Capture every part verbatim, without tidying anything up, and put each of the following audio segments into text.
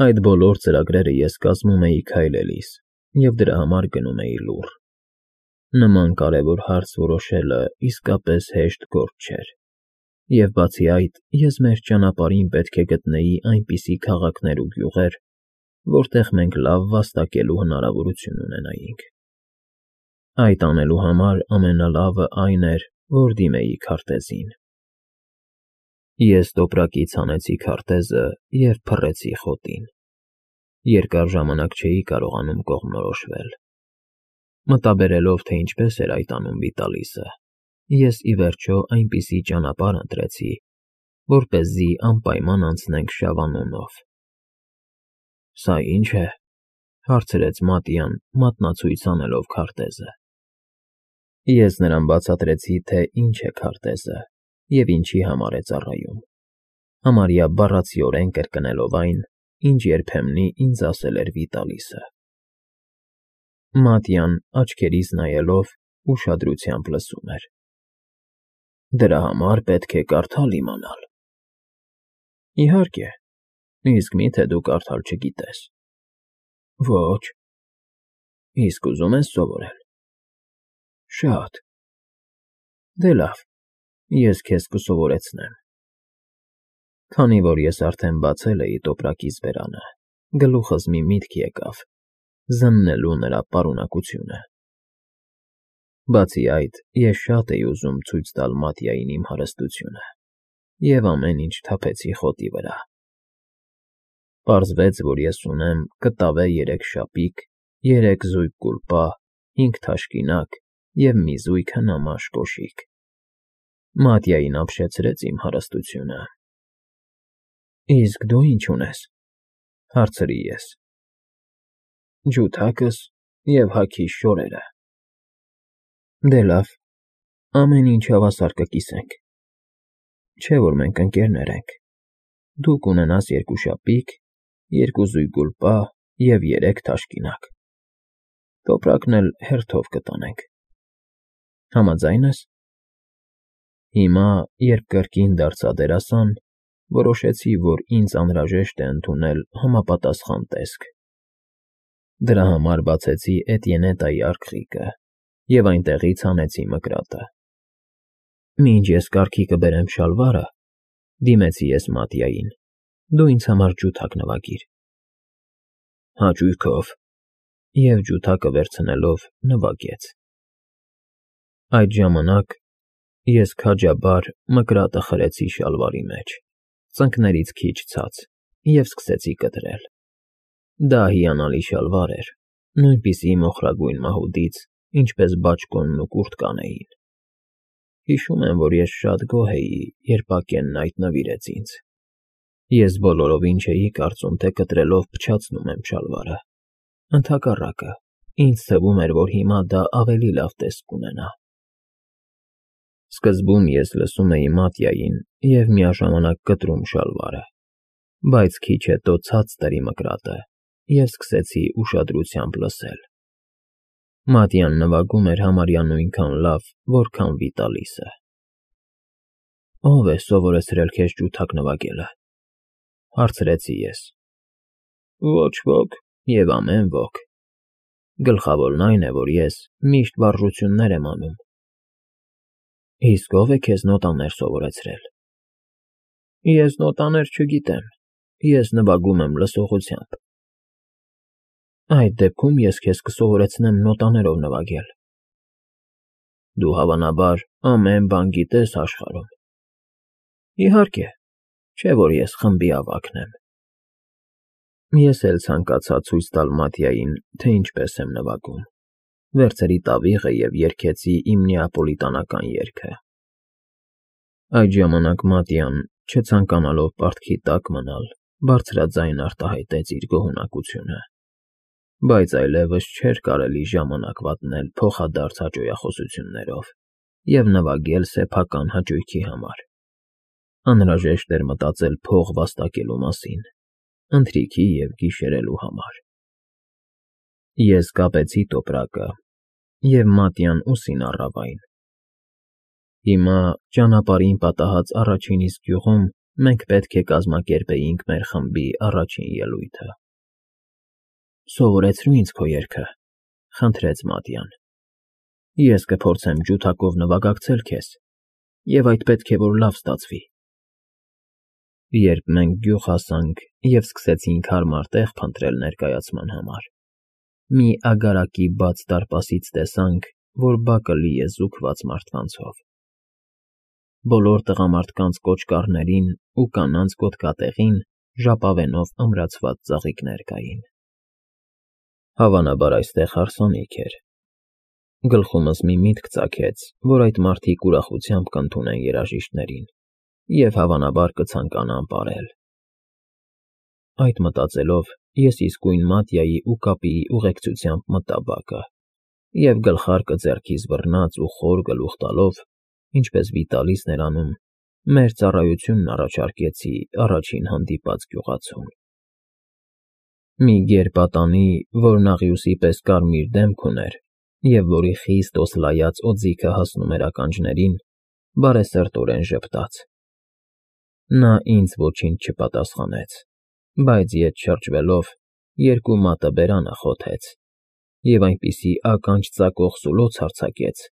Այդ բոլոր ծրագրերը ես կազմում էի քայլելիս և դրա համար գնում էի լուռ։ Նման կարևոր հարց որոշելը իսկապես հեշտ գործ չէր, և բացի այդ, ես մեր ճանապարհին պետք է գտնեի այնպիսի քաղաքներ ու գյուղեր, որտեղ մենք լավ վաստակելու հնարավորություն ունենայինք։ Այդ անելու համար ամենալավը այն էր, որ դիմեի քարտեզին։ Ես տոպրակից հանեցի քարտեզը և փռեցի խոտին։ Երկար ժամանակ չէի կարողանում կողմնորոշվել։ Մտաբերելով, թե ինչպես էր այդ անում Վիտալիսը, ես ի վերջո այնպիսի ճանապարհ ընտրեցի, որպեսզի անպայման անցնենք Շավանունով։ ֊ Սա ի՞նչ է,֊ հարցրեց Մատիան, մատնացույց անելով քարտեզը։ Ես նրան բացատրեցի, թե ինչ է քարտեզը և ինչի համար է ծառայում, համարյա բառացիորեն կրկնելով այն, ինչ երբեմնի ինձ ասել էր Վիտալիսը։ Մատիան, աչքերիս նայելով, ուշադրությամբ լսում էր։ ֊ Դրա համար պետք է կարդալ իմանալ։ ֊ Իհարկե, իսկ մի՞թե դու կարդալ չգիտես։ ֊ Ոչ։ ֊ Իսկ ուզում ես սովորել։ ֊ Շատ։ ֊ Դե լավ, ես քեզ կսովորեցնեմ։ Քանի որ ես արդեն բացել էի տոպրակիս բերանը, գլուխս մի միտք եկավ՝ զննելու նրա պարունակությունը։ Բացի այդ, ես շատ էի ուզում ցույց տալ Մատիային իմ հարստությունը և ամեն ինչ թափեցի խոտի վրա։ Պարզվեց, որ ես ունեմ կտավե երեք շապիկ, երեք զույգ կուլպա, հինգ թաշկինակ և մի զույգ հնամաշ կոշիկ։ Մատիային ապշեցրեց իմ հարստությունը։ ֊ Իսկ դու ի՞նչ ունես,֊ հարցրի ես։ ֊ Ջութակս և հագիս շորերը։ ֊ Դե լավ, ամեն ինչ հավասար կկիսենք։ Չէ՞ որ մենք ընկերներ ենք, դու կունենաս երկու շապիկ, երկու զույգ կուլպա և երեք թաշկինակ, տոպրակն էլ հերթով կտանենք։ Համաձա՞յն ես։ Հիմա, երբ կրկին դարձա դերասան, որոշեցի, որ ինձ անհրաժեշտ է ընդունել համապատասխան տեսք։ Դրա համար բացեցի Էտիենետայի արքղիկը և այնտեղից հանեցի մկրատը։ Մինչ ես կառքի կբերեմ շալվարը, դիմեցի ես Մատիային, դու ինձ համար ջութակ նվագիր։ ֊ Հաճույքով, և ջութակը վերցնելով նվագեց։ Այդ ժամանակ ես քաջաբար մկրատը խրեցի շալվարի մեջ, ծնկներից քիչ ցած, և սկսեցի կտրել։ Դա հիանալի շալվար էր, նույնպիսի մոխրագույն մահուդից, ինչպես բաճկոնն ու կուրտկան էին։ Հիշում եմ, որ ես շատ գոհ էի, երբ Բակենն այդ նվիրեց ինձ։ Ես բոլորովին չէի կարծում, թե կտրելով փչացնում եմ շալվարը։ Ընդհակառակը, ինձ թվում էր, որ հիմա դա ավելի լավ տեսք կունենա։ Սկզբում ես լսում էի Մատիային և միաժամանակ կտրում շալվարը, բայց քիչ հետո ցած տարի մկրատը և սկսեցի ուշադրությամբ լսել։ Մատիան նվագում էր համարյա նույնքան լավ, որքան Վիտալիսը։ ֊ Ո՞վ է սովորեցրել քեզ ջութակ նվագելը,֊ հարցրեցի ես։ ֊ Ոչ ոք և ամեն ոք։ Գլխավորն այն է, որ ես միշտ վարժություններ եմ անում։ ֊ Իսկ ո՞վ է քեզ նոտաներ սովորեցրել։ ֊ Ես նոտաներ չգիտեմ, ես նվագում եմ լսողությամբ։ ֊ Այդ դեպքում ես քեզ կսովորեցնեմ նոտաներով նվագել։ ֊ Դու, հավանաբար, ամեն բան գիտես աշխարհում։ ֊ Իհարկե, չէ՞ որ ես խմբի ավագն եմ։ Ես էլ ցանկացա ցույց տալ Մատիային, թե ինչպես եմ նվագում, վերցրի տավիղը և երգեցի իմ նեապոլիտանական երգը։ Այդ ժամանակ Մատիան, չցանկանալով պարտքի տակ մնալ, բարձրաձայն արտահայտեց իր գոհունակությունը, բայց այլևս չէր կարելի ժամանակ վատնել փոխադարձ հաճոյախոսություններով և նվագել սեփական հաճույքի համար։ Անհրաժեշտ էր մտածել փող վաստակելու մասին, ընթրիքի և գիշերելու համար։ Ես կապեցի տոպրակը, և Մատիան ուսին առավ այն։ Հիմա, ճանապարհին պատահած առաջին իսկ գյուղում, մենք պետք է կազմակերպեինք մեր խմբի առաջին ելույթը։ ֊ Սովորեցրու ինձ քո երգը, ֊ խնդրեց Մատյան։ ֊ Ես կփորձեմ ջութակով նվագակցել քեզ, և այդ պետք է որ լավ ստացվի։ Երբ մենք գյուղ հասանք և սկսեցինք հարմար տեղ փնտրել ներկայացման համար, մի ագարակի բաց դարպասից տեսանք, որ բակը լի է զուգված մարդկանցով։ Բոլոր տղամարդկանց կոճկարներին ու կանանց գոտկատեղին ժապավենով ամրացված ծաղիկներ կային։ Հավանաբար այստեղ հարսանիք էր։ Գլխումս մի միտք ծագեց, որ այդ մարդիկ ուրախությամբ կընդունեն երաժիշտներին և հավանաբար կցանկանան պարել։ Այդ մտածելով, ես իսկույն Մատյայի ու Կապիի ուղեկցությամբ մտա բակը և գլխարկը ձեռքիս բռնած ու խոր գլուխ տալով, ինչպես Վիտալիսն էր անում, մեր ծառայությունն առաջարկեցի առաջին հանդիպած գյուղացուն։ Մի գեր-պատանի, որն աղյուսի պես կարմիր դեմք ուներ և որի խիստ օսլայած օձիքը հասնում էր ականջներին, բարեսրտորեն ժպտաց։ Նա ինձ ոչինչ չպատասխանեց, բայց ետ շրջվելով, երկու մատը բերանը խոթեց և այնպիսի ականջ ծակող սուլոց արձակեց,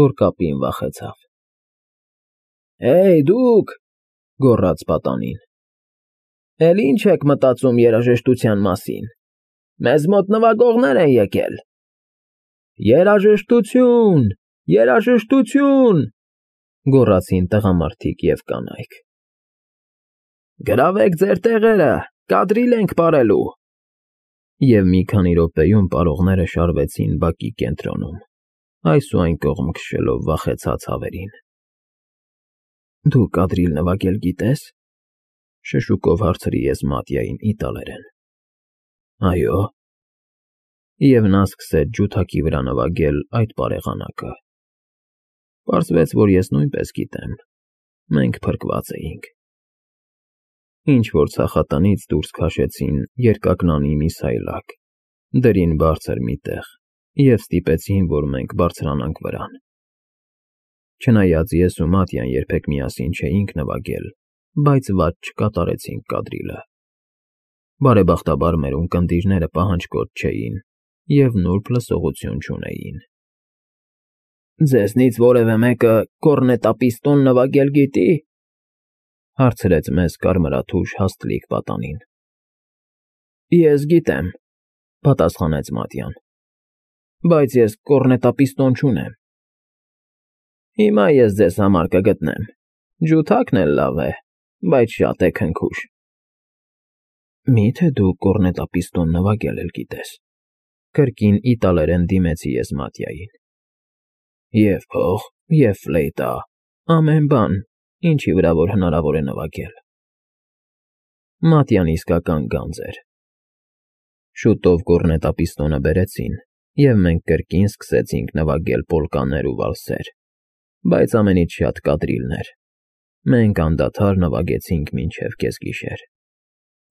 որ Կապին վախեցավ։ ֊ Հեյ, դուք,֊ գոռաց պատանին,֊ էլ ի՞նչ եք մտածում երաժշտության մասին, մեզ մոտ նվագողներ են եկել։ ֊ Երաժշտություն, երաժշտություն,֊ գոռացին տղամարդիկ և կանայք։ ֊ Գրավեք ձեր տեղերը, կադրիլ ենք պարելու։ Եվ մի քանի րոպեում պարողները շարվեցին բակի կենտրոնում, այս ու այն կողմ քշելով վախեցած հավերին։ ֊ Դու կադրիլ նվագել գիտե՞ս,֊ շշուկով հարցրի ես Մատյային իտալերեն։ ֊ Այո։ Եվ նա սկսեց ջութակի վրա նվագել այդ բարեղանակը։ Պարզվեց, որ ես նույնպես գիտեմ, մենք փրկված էինք։ Ինչ֊որ ցախատնից դուրս քաշեցին երկակնանի մի սայլակ, դրին բարձր մի տեղ և ստիպեցին, որ մենք բարձրանանք վրան։ Չնայած ես ու Մատյան երբեք միասին չէինք նվագել, բայց վատ չկատարեցինք կադրիլը։ Բարեբախտաբար մեր ունկնդիրները պահանջկոտ չէին և նուրբ լսողություն չունեին։ ֊ Ձեզնից որևէ մեկը կոռնետապիստոն նվագել գիտի,֊ հարցրեց մեզ կարմրաթուշ հաստլիկ պատանին։ ֊ Ես գիտեմ,֊ պատասխանեց Մատյան,֊ բայց ես կոռնետապիստոն չունեմ։ ֊ Հիմա ես ձեզ համար կգտնեմ, ջութակն էլ լավ է, բայց շատ է քնքուշ։ ֊ Մի՞թե դու կոռնետապիստոն նվագել էլ գիտես,֊ կրկին իտալերեն դիմեցի ես Մատյային։ ֊ Եվ փող, և ֆլեյտա, ամեն բան, ինչի վրա որ հնարավոր է նվագել։ Մատյան իսկական գանձ էր։ Շուտով կոռնետապիստոնը բերեցին, և մենք կրկին սկսեցինք նվագել պոլկաներ ու վալսեր, բայց ամենից շատ կադրիլներ։ Մենք անդադար նվագեցինք մինչև կեսգիշեր։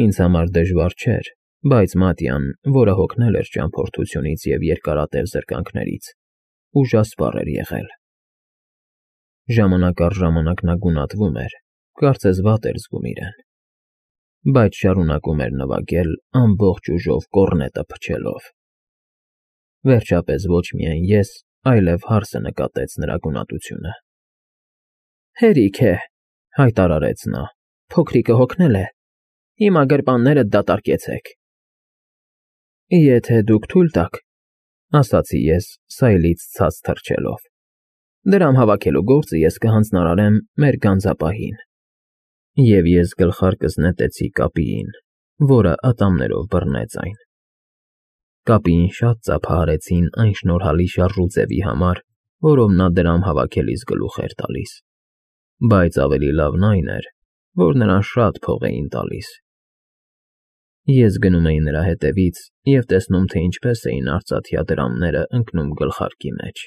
Ինձ համար դժվար չէր, բայց Մատյան, որը հոգնել էր ճամփորդությունից և երկարատև զրկանքներից, ուժասպառ էր եղել։ Ժամանակ առ ժամանակ նա գունատվում էր, կարծես վատ էր զգում իրեն, բայց շարունակում էր նվագել ամբողջ ուժով կոռնետը փչելով։ Վերջապես ոչ միայն ես, այլև հարսը նկատեց նրա գունատությունը։ ֊ Հերիք է,֊ հայտարարեց նա,֊ փոքրիկը հոգնել է, հիմա գրպաններդ դատարկեցեք։ ֊ Եթե դուք թույլ տաք,֊ ասացի ես սայլից ցած թռչելով,֊ դրամ հավաքելու գործը ես կհանձնարարեմ մեր գանձապահին։ Եվ ես գլխարկս նետեցի Կապիին, որը ատամներով բռնեց այն։ Կապիին շատ ծափահարեցին այն շնորհալի շարժուձևի համար, որով նա դրամ հավաքելիս գլուխ էր տալիս, բայց ավելի լավն այն էր, որ նրան շատ փող էին տալիս։ Ես գնում էի նրա հետևից և տեսնում, թե ինչպես էին արծաթյա դրամները ընկնում գլխարկի մեջ։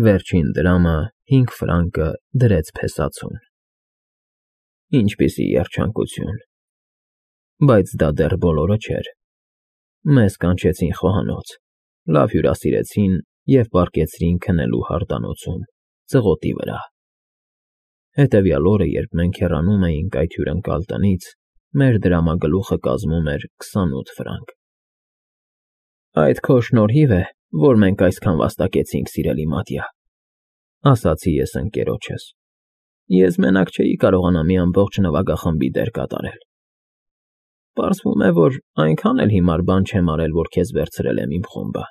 Վերջին դրամը, հինգ ֆրանկը, դրեց փեսացուն։ Ինչպիսի երջանկություն… Բայց դա դեռ բոլորը չէր։ Մեզ կանչեցին խոհանոց, լավ հյուրասիրեցին և պառկեցրին քնելու հարդանոցում, ծղոտի վրա։ Հետևյալ օրը, երբ մենք հեռանում էինք այդ հյուրընկալ տնից, մեր դրամագլուխը կազմում էր քսանութ ֆրանկ։ Այդ քո շնորհիվ է, որ մենք այսքան վաստակեցինք, սիրելի Մատյա, ասացի ես ընկերոջս։ Ես մենակ չէի կարողանա մի ամբողջ նվագախմբի դեր կատարել։ Պարզվում է, որ այնքան էլ հիմար բան չեմ արել, որ քեզ վերցրել եմ իմ խումբը։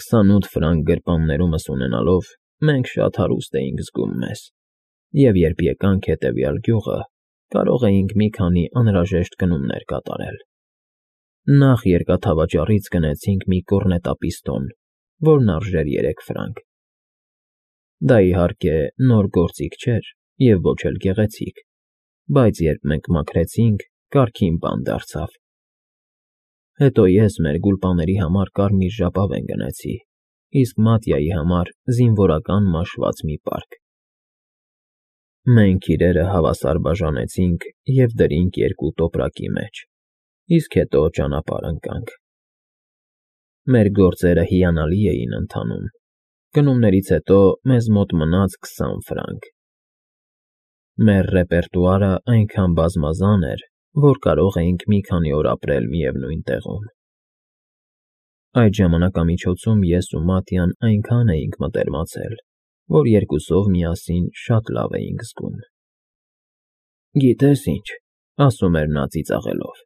Քսանութ ֆրանկ գրպաններումս ունենալով մենք շատ հարուստ էինք զգում մեզ, և երբ եկանք հետևյալ գյուղը, կարող էինք մի քանի անհրաժեշտ գնումներ կատարել։ Նախ երկաթավաճառից գնեցինք մի կոռնետապիստոն, որն արժեր երեք ֆրանկ։ Դա, իհարկե, նոր գործիք չէր և ոչ էլ գեղեցիկ, բայց երբ մենք մաքրեցինք, կարգին բան դարձավ։ Հետո ես մեր գուլպաների համար կարմիր ժապավեն գնեցի, իսկ Մատյայի համար զինվորական մաշված մի պարկ։ Մենք իրերը հավասար բաժանեցինք և դրինք երկու տոպրակի մեջ, իսկ հետո ճանապարհ ընկանք։ Մեր գործերը հիանալի էին ընթանում, գնումներից հետո մեզ մոտ մնաց քսան ֆրանկ։ Մեր ռեպերտուարը այնքան բազմազան էր, որ կարող էինք մի քանի օր ապրել միևնույն տեղում։ Այդ ժամանակամիջոցում ես ու Մատյան այնքան էինք մտերմացել, որ երկուսով միասին շատ լավ էինք զգում։ Գիտե՞ս ինչ,֊ ասում էր նա ծիծաղելով,֊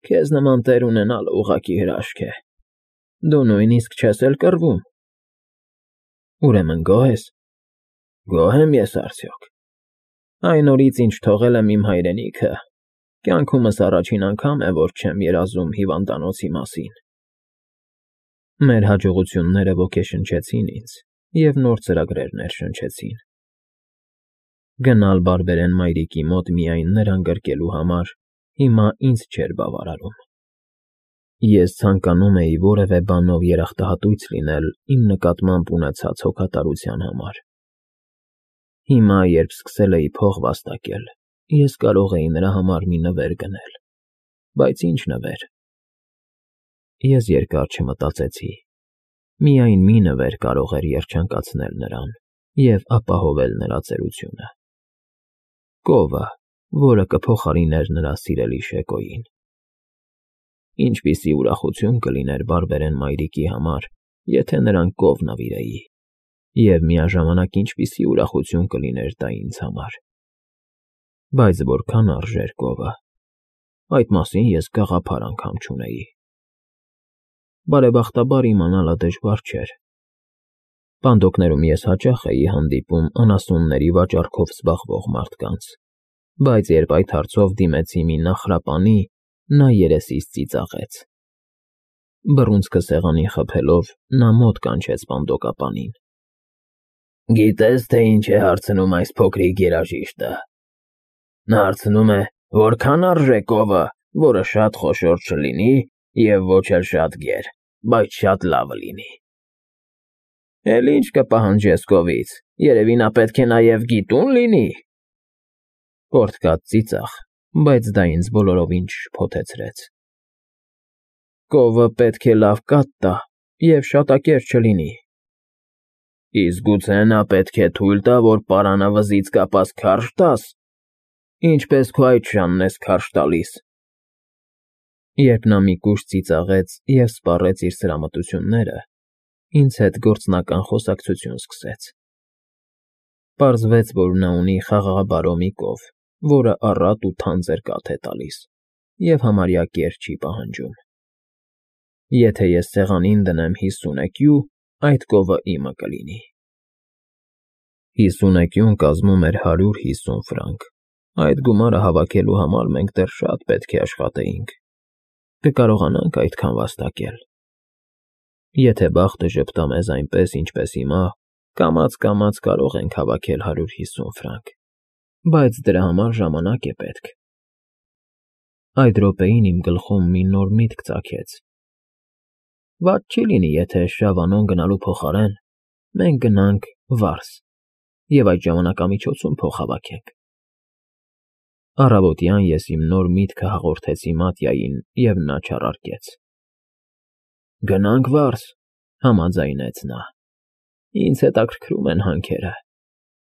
քեզ նման տեր ունենալը ուղղակի հրաշք է։ Դու նույնիսկ չես էլ կռվում։ Ուրեմն գոհ ես։ Գոհ եմ ես արդյոք։ Այն օրից, ինչ թողել եմ իմ հայրենիքը, կյանքումս առաջին անգամ է, որ չեմ երազում հիվանդանոցի մասին։ Մեր հաջողությունները ոգեշնչեցին ինձ և նոր ծրագրեր ներշնչեցին։ Գնալ բարբերեն մայրիկի մոտ միայն նրան գրկելու համար հիմա ինձ չէր բավարարում։ Ես ցանկանում էի որևէ բանով երախտահատույց լինել իմ նկատմամբ ունեցած հոգատարության համար։ Հիմա, երբ սկսել էի փող վաստակել, ես կարող էի նրա համար մի նվեր գնել։ Բայց ի՞նչ նվեր։ Ես երկար չմտածեցի։ Միայն մի նվեր կարող էր երջանկացնել նրան և ապահովել նրա ծերությունը։ Կովը, որը կփոխարիներ նրա սիրելի Շեկոյին։ Ինչպիսի ուրախություն կլիներ բարբերեն մայրիկի համար, եթե նրան կով նվիրեի, և միաժամանակ ինչպիսի ուրախություն կլիներ դա ինձ համար։ Բայց որքան արժեր կովը, այդ մասին ես գաղափար անգամ չունեի։ Բարեբախտաբար իմանալը դժվար չէր։ Պանդոկներում ես հաճախ էի հանդիպում անասունների վաճառքով զբաղվող մարդկանց, բայց երբ այդ հարցով դիմեցի մի նախրապանի, նա երեսից ծիծաղեց։ Բռունցքը սեղանին խփելով՝ նա մոտ կանչեց պանդոկապանին։ Գիտե՞ս, թե ինչ է հարցնում այս փոքրիկ երաժիշտը։ Նա հարցնում է, որքան արժե կովը, որը շատ խոշոր չլինի և ոչ էլ շատ գեր, բայց շատ լավը լինի։ Էլ ի՞նչ կպահանջես կովից, երևի նա պետք է նաև գիտուն լինի։ Կորդկաց ծիծաղ, բայց դա ինձ բոլորովին չշփոթեցրեց։ Կովը պետք է լավ կաթ տա և շատակեր չլինի։ Իսկ գուցե նա պետք է թույլ տա, որ պարանը վզից կապած քարշ տաս, ինչպես քո այդշանն ես քարշ տալիս։ Երբ նա մի կուշտ ծիծաղեց և սպառեց իր սրամտությունները, ինձ հետ գործնական խոսակցություն սկսեց։ Պարզվեց, որ նա ունի խաղաղաբարո մի կով, որը առատ ու թանձր կաթ է տալիս և համարյա կեր չի պահանջում։ Եթե ես սեղանին դնեմ հիսուն էկյու, այդ կովը իմը կլինի։ Հիսուն էկյուն կազմում էր հարյուր հիսուն ֆրանկ։ Այդ գումարը հավաքելու համար մենք դեռ շատ պետք է աշխատեինք։ Կկարողանա՞նք այդքան վաստակել։ Եթե բախտը ժպտա մեզ այնպես, ինչպես հիմա, կամաց֊կամաց կարող ենք հավաքել հարյուր հիսուն ֆրանկ, բայց դրա համար ժամանակ է պետք։ Այդ րոպեին իմ գլխում մի նոր միտք ծագեց։ Վատ չի լինի, եթե Շավանոն գնալու փոխարեն մենք գնանք Վարս և այդ ժամանակամիջոցում փող հավաքենք։ Առավոտյան ես իմ նոր միտքը հաղորդեցի Մատյային, և նա չառարկեց։ Գնանք Վարս,֊ համաձայնեց նա։ Ինձ հետաքրքրում են հանքերը։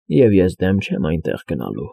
Եվ ես դեմ չեմ այնտեղ գնալու։